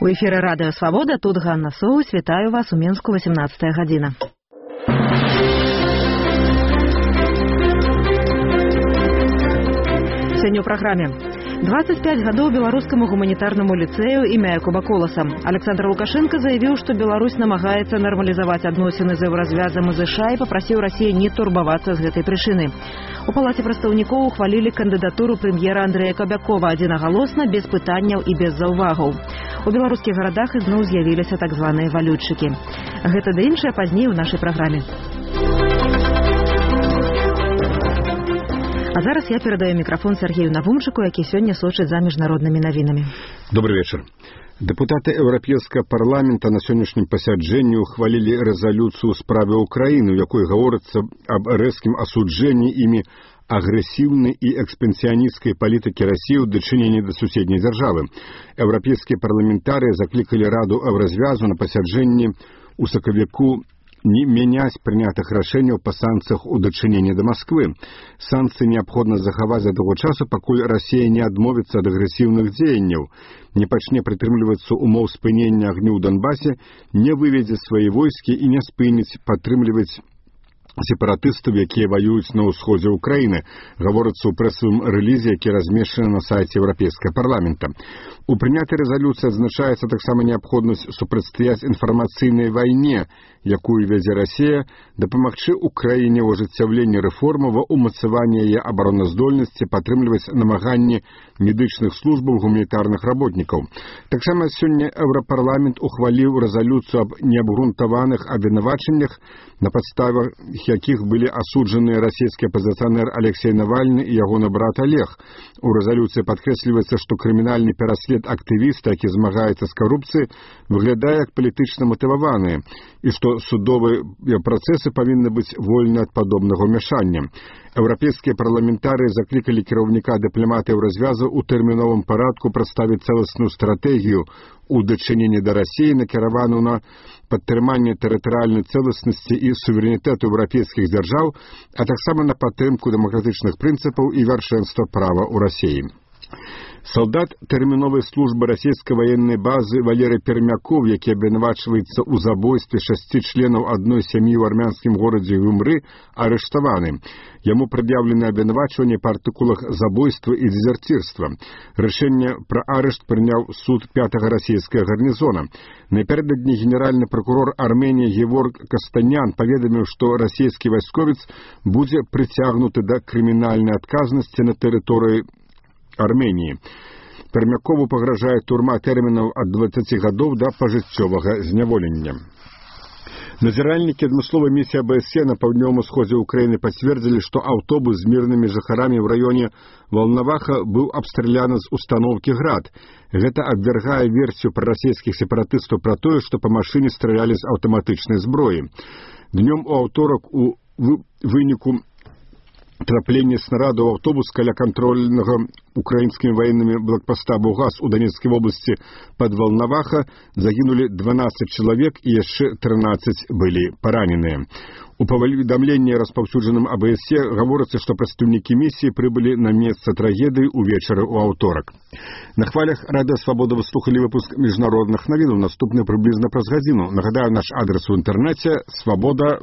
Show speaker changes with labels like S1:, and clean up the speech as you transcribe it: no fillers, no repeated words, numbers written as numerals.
S1: У эфіры радыё Свабода, тут Ганна Соус, вітаю вас у Мінску, 18 гадзіна. Сёння ў праграме. 25 гадоў беларускаму гуманітарнаму ліцэю імя Якуба Коласа. Александр Лукашенко заявіў, што Беларусь намагаецца нармалізаваць адносіны з еўразвязам і ЗША і папрасіў Расію не турбавацца з гэтай прычыны. У палаце прадстаўнікоў ухвалілі кандыдатуру прэм'ера Андрэя Кабякова адзінагалосна, без пытанняў і без заўвагаў. У беларускіх гарадах ізноў з'явіліся так званыя валютчыкі. Гэта ды іншае пазней у нашай праграме. А зараз я перадаю мікрафон Сергею Навумчыку, які сёння сочыць за міжнароднымі навінамі.
S2: Добрый вечер. Депутаты Еўрапейскага парламента на сённяшнім пасяджэнні ухвалілі рэзалюцыю ў справе Украіны, у якой гаворыцца аб рэзкім асуджэнні імі агрэсіўнай і экспансіянісцкай палітыкі Расіі ў дачыненні да суседняй дзяржавы. Еўрапейскія парламентарыі заклікалі Раду Еўразвязу на пасяджэнні ў сакавіку не мяняць прынятых рашэнняў па санкцыях у дачыненні да Масквы. Санкцыі неабходна захаваць да таго часу, пакуль Расія не адмовіцца ад агрэсіўных дзеянняў, не пачне прытрымлівацца умоў спынення агню ў Донбасе, не выведзе свае войскі і не спыніць падтрымліваць сепаратыстаў, якія ваююць на ўсходзе ўкраіны, гаворыцца ў прэсавым рэлізе, які размешчаны на сайце Еўрапейскага парламента. У прынятай рэзалюцыі адзначаецца таксама неабходнасць супрацьстаяць інфармацыйнай вайне, якую вядзе Расія, дапамагчы ўкраіне ў ажыццяўленні рэформаў, умацаванні яе абароназдольнасці, падтрымліваць намаганні медычных службаў, гуманітарных работнікаў. Таксама сёння Еўрапарламент ухваліў рэзалюцыю аб неабгрунтаваных абвінавачаннях, на падставах якіх былі асуджаныя расійскі апазіцыянер Алексей Навальны і ягоны брат Олег. У рэзалюцыі падкрэсліваецца, што крымінальны пераслед актывіста, які змагаецца з карупцыяй, выглядае як палітычна матываваны, і што судовыя працэсы павінны быць вольны ад падобнага ўмяшання. Еўрапейскія парламентарыі заклікалі кіраўніка дыпламатыі Еўразвязу ў тэрміновым парадку прадставіць цэласную стратэгію у дачыненні да Расіі, накіраваную на падтрыманне тэрытарыяльнай цэласнасці і суверэнітэту еўрапейскіх дзяржаў, а таксама на падтрымку дэмакратычных прынцыпаў і вяршэнства права ў Расіі. Салдат тэрміновай службы расійскай ваеннай базы Валерый Пермяков, які абвінавачваецца ў забойстве 6 членаў адной сям'і ў армянскім горадзе Гюмры, арыштаваны. Яму прад'яўлены абвінавачванні па артыкулах забойства і дезерцірства. Рашэнне пра арышт прыняў суд 5-го расійскага гарнізона. Напярэдадні генеральны пракурор Арменіі Геворг Кастанян паведаміў, што расійскі вайсковец будзе прыцягнуты да крымінальнай адказнасці на тэрыторыі Арменіі. Пермякову пагражае турма тэрмінаў ад 20 гадоў да пажыццёвага зняволення. Назіральнікі адмысловай місіі АБСЕ на паўднёвым усходзе ўкраіны пацвердзілі, што аўтобус з мірнымі жыхарамі ў раёне Волноваха быў абстраляны з установкі «Град». Гэта абвяргае версію прарасійскіх сепаратыстаў пра тое, што па машыне стралялі з аўтаматычнай зброі. Днём у аўторак у выніку траплення снарада ў аўтобус каля кантрольнага украінскімі ваеннымі блокпоста Бугас у Донецкай вобласці пад Волноваха загінулі 12 чалавек і яшчэ 13 былі параненыя. У паведамленні, распаўсюджаным АБСЕ, гаворыцца, што прадстаўнікі місіі прыбылі на месца трагедыі ўвечары ў аўторак. На хвалях Радыё Свабода вы слухалі выпуск міжнародных навінаў, наступны прыблізна праз гадзіну. Нагадаю, наш адрес у інтэрнэце свабода.